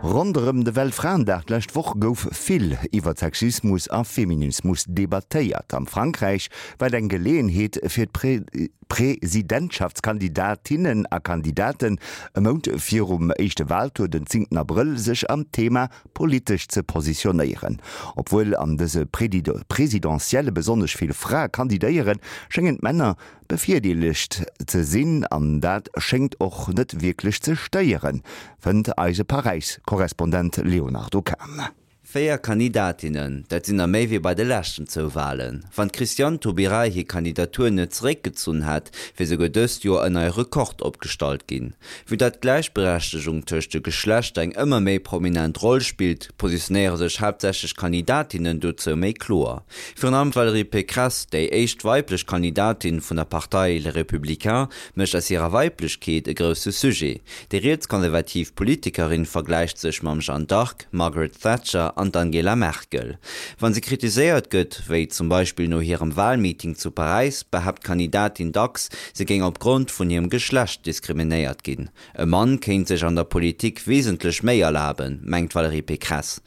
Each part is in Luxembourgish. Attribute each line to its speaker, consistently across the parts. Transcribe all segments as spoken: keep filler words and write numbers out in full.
Speaker 1: Ronderëm de Weltfraendag d'lescht Woch gouf vill iwwer Sexismus a Feminismus debattéiert. Am Frankräich war et eng Geleeënheet fir d'Presidentschaftskandidatinnen a Kandidaten e Mount virum éischte Waltour den zéngten Abrëll sech am Thema politesch ze positionéieren. Obwuel an dëse Presidentielle besonnesch vill Frae kandidéieren, schéngen d'Männer bevirdeelegt ze sinn an dat schéngt och net wierklech ze stéieren, fënnt eise Paräis-Korrespondent Léonardo Kahn.
Speaker 2: Véier Kandidatinnen, dat sinn der méi wéi bei de leschten zwou Walen. Wann d'Christiane Taubira hir Kandidatur net zeréckgezunn hätt, wier souguer dëst Joer en neie Rekord opgestallt ginn. Vue dat d'Gläichberechtegung tëscht de Geschlechter eng ëmmer méi prominent Roll spillt, positionéiere sech haaptsächlech Kandidatinnen dozou méi kloer. Virun allem d'Valérie Pécresse, déi éischt weiblech Kandidatin vun der Partei Les Républicains, mécht aus hirer Weiblechkeet e grousse Sujet. Déi rietskonservativ Politikerin vergläicht sech mam Jeanne d'Arc, Margaret Thatcher an d'Angela Merkel. Wa se kritiséiert gëtt, wéi zum Beispill no hirem Walmeeting zu Paräis, behaapt d'Kandidatin dacks, se géing opgrond vun hirem Geschlecht diskriminéiert ginn. E Mann kéint sech an der Politik wesentlech méi erlaben, mengt d'Valérie Pécresse.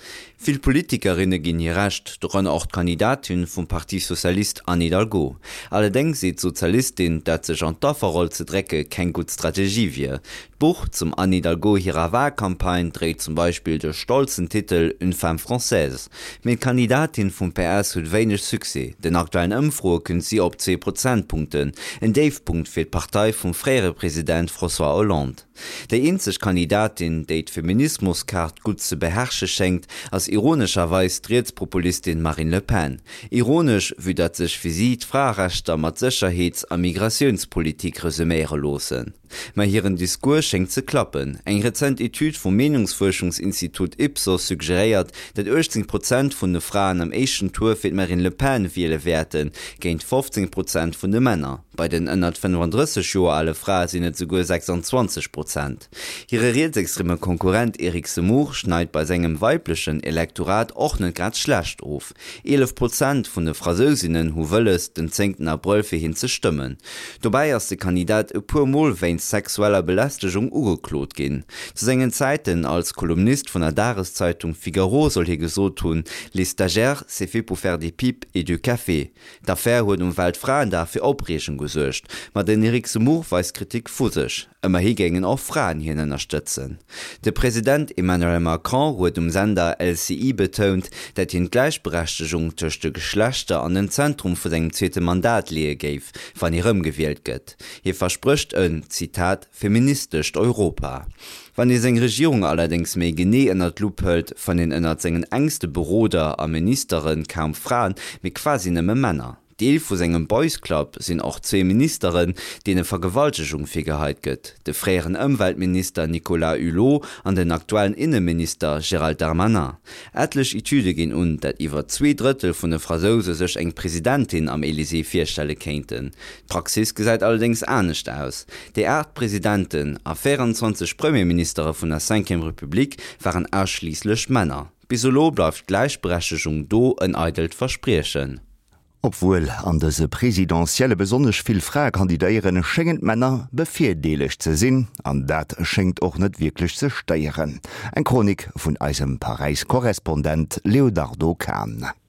Speaker 2: Vill Politikerinne ginn hir Recht, dorënner och d'Kandidatin vum Parti Socialiste Anne Hidalgo. Allerdéngs seet d'Sozialistin, dat sech an d'Afferroll ze drécke keng gutt Strategie wier. D'Buch zum Anne Hidalgo hirer Walcampagne dréit zum Beispill de stolzen Titel Une femme française. Mee d'Kandidatin vum P S huet wéineg Succès, den aktuellen Ëmfroe kënnt si op zwee Prozentpunkten, en Déifpunkt fir d'Partei vum fréiere President François Hollande. Déi eenzeg Kandidatin, déi d'Feminismuskaart gutt ze beherrsche schéngt, ass ironescherweis d'Rietspopulistin Marine Le Pen. Ironesch, vue dat sech fir si d'Fraerechter mat Sécherheets a Migratiounspolitik resuméiere loossen. Ma hiren Discours schéngt ze klappen. Eng rezent Etüd vum Meenungsfuerschungsinstitut Ipsos suggeréiert, dat uechtzéng Prozent vun de Fraen am éischten Tour fir d'Marine Le Pen wiele wäerten, géint fofzéng Prozent vun de Männer. Bei den ënnert fënnefandrësseg Joer ale Frae sinn et souguer sechsanzwanzeg Prozent. Hire rietsextreme Konkurrent Eric Zemmour schneit bei sengem weiblechen Elektorat och net grad schlecht of. Eelef Prozent vun de Fransousinnen hu wëlles, den zéngten Abrëll fir hien ze stëmmen. Dobäi ass de Kandidat e puer Mol wéinst sexueller Belästegung ugeklot ginn. Zu sengen Zäiten als Kolumnist vun der Dageszeitung Figaro soll hie gesot hunn, Les stagiaires, c'est fait pour faire des pipes et du café. D'Affär huet um Weltfraendag fir Opreegung gesuergt, ma den Eric Zemmour weist Kritik vu sech. Ëmmerhi géingen och Fraen hien ënnerstëtzen. De President Emmanuel Macron huet um Sender L C I betount, dat hien d'Gläichberechtegung tëscht de Geschlechter an den Zentrum vu sengem zweete Mandat leeë géif, wann hie rëmgewielt gëtt. Hie versprécht en, Zitat, feministescht Europa. Wann ee seng Regierung allerdéngs méi genee ënnert d'Lupp hëlt, fënnt een ënnert sengen enkste Beroder a Ministere kaum Fraen, mee quasi nëmme Männer. Deel vu sengem Boys Club sinn och zwee Ministeren, deene Vergewaltegung virgeheit gëtt, de fréieren Ëmweltminister Nicolas Hulot an den aktuellen Inneminister Gérald Darmanin. Etlech Etüde ginn un, dat iwwer zwee Drëttel vun de Fransouse sech eng Presidentin am Elysée virstelle kéinten. D'Praxis gesäit allerdéngs anescht aus. Déi aacht Presidenten a véieranzwanzeg Premierministere vun der Cinquième Republique waren ausschliisslech Männer. Bis elo bleift d'Gläichberechtegung do en eidelt Verspriechen.
Speaker 1: Obwuel an dëse Presidentielle besonnesch vill Frae kandidéieren, schéngen d'Männer bevirdeelegt ze sinn an dat schéngt och net wierklech ze stéieren. Eng Chronik vun eisem Paräis-Korrespondent Léonardo Kahn.